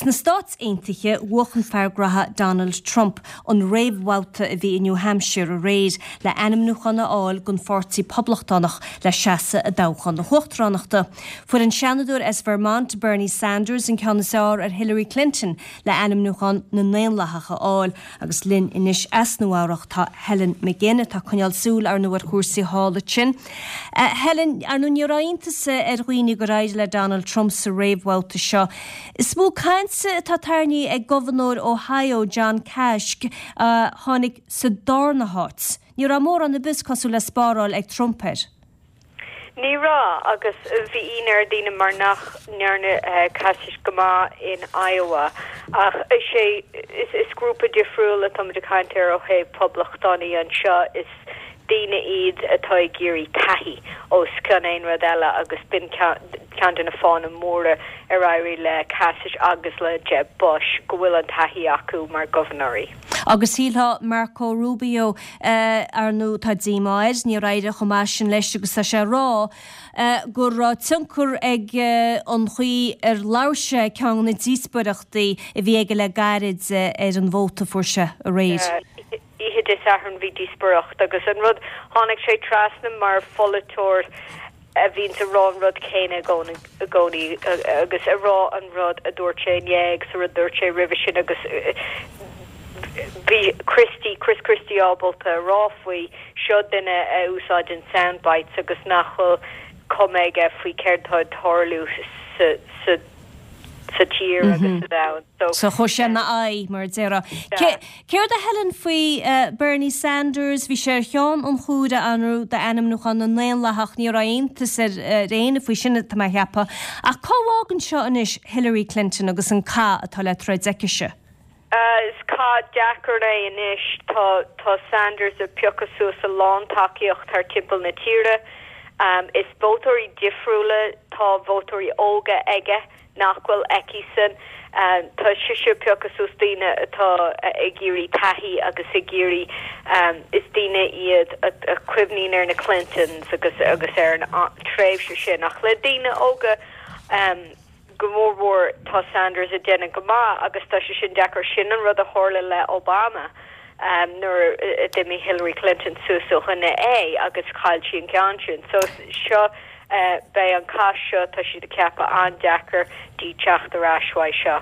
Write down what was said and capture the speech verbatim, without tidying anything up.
Sna Stáit Aontaithe bhuaigh an fear graithe Donald Trump an réamhbhabhta a bhí i New Hampshire aréir le ainmniúchán a fháil don Pháirtí Poblachtánach le seasamh i dtoghchán na huachtaránachta. Fuair an Seanadóir as Vermont Bernie Sanders an ceann is fearr ar Hillary Clinton le ainmniúchán na nDaonlathach a fháil agus linn anois as Nua-Eabhrac tá Helen McGinn atá ag coinneáil súil ar na cúrsaí thall ansin. Uh, Helen ar ndóigh ní raibh iontas ar dhaoine gur éirigh le Donald Trump sa réamhbhabhta seo. Is mó cainte atá tarraingthe ag gobharnóir Ohio John Kasich uh, tháinig sa darna háit. Ní raibh mórán ar bith cosúil le spáráil ag Trump air. Ní raibh agus bhí ionadh ar dhaoine mar nach ndearna uh, Kasich go maith in Iowa ach is é is, is grúpa difriúil atá ag caint ar ó thaobh poblachtánaigh anseo is daoine iad atá ag iarraidh taithí os cionn aon rud eile agus b'in ceann de na fáthanna móra ar éirigh le Kasich agus le Jeb Bush go bhfuil an taithí acu mar ghobharnóirí. Agus shílfeá Marco Rubio uh, ar ndóigh tá díomá air níor éirigh chomh maith sin leis agus tá sé ag rá uh, gur raibh tionchar ag uh, an chaoi ar labhair sé ceann na díospóireachtaí a bhí aige le gairid uh, ar an vóta fuair sé aréir. Uh, Oíche Dé Sathairn bhí díospóireacht agus an rud tháinig sé trasna mar pholaiteoir a bhíonn ag rá an rud céanna i gcónaí agus ag rá an rud a dúirt sé inné agus a rud dúirt sé roimhe sin agus bhí Christie Chris Christie ábalta rá faoi seo duine a úsáideann soundbites agus nach bhfuil cuma aige faoi céard atá ag tarlú sa sa sa tír mm -hmm. agus sa domhan. So, so chuir sé na aghaidh mar déarfá. Céard a Helen faoi uh, Bernie Sanders, bhí sé ar cheann an chuaire anrú d'ainmniúchán na nDaonlathach ní raibh iontas ar éinne faoi sin tá mé ag ceapadh. Ach cá bhfágann seo anois Hillary Clinton agus an cath atá le troid aicise. Uh, is cath deacair é anois tá tá Sanders ag piocadh suas a lán tacaíocht thar timpeall na tíre. Um, is vótóirí difriúla tá vótóirí óga aige nach bhfuil aici-san. Um, tá sise ag piocadh suas daoine atá ag iarraidh taithí agus ag iarraidh um, is daoine iad a, a chuimhníonn ar na Clintons agus agus ar an tréimhse sin ach le daoine óga um, go mórmhór tá Sanders ag déanamh go maith agus tá sé sin deacair sin an rud a tharla le Obama. Um, nuair a d'imigh Hillary Clinton suas ó choinne é agus chaill sí an ceann sin. So seo uh, beidh an cath seo tá siad ag ceapadh an-deacair di teacht ar ais uaidh seo.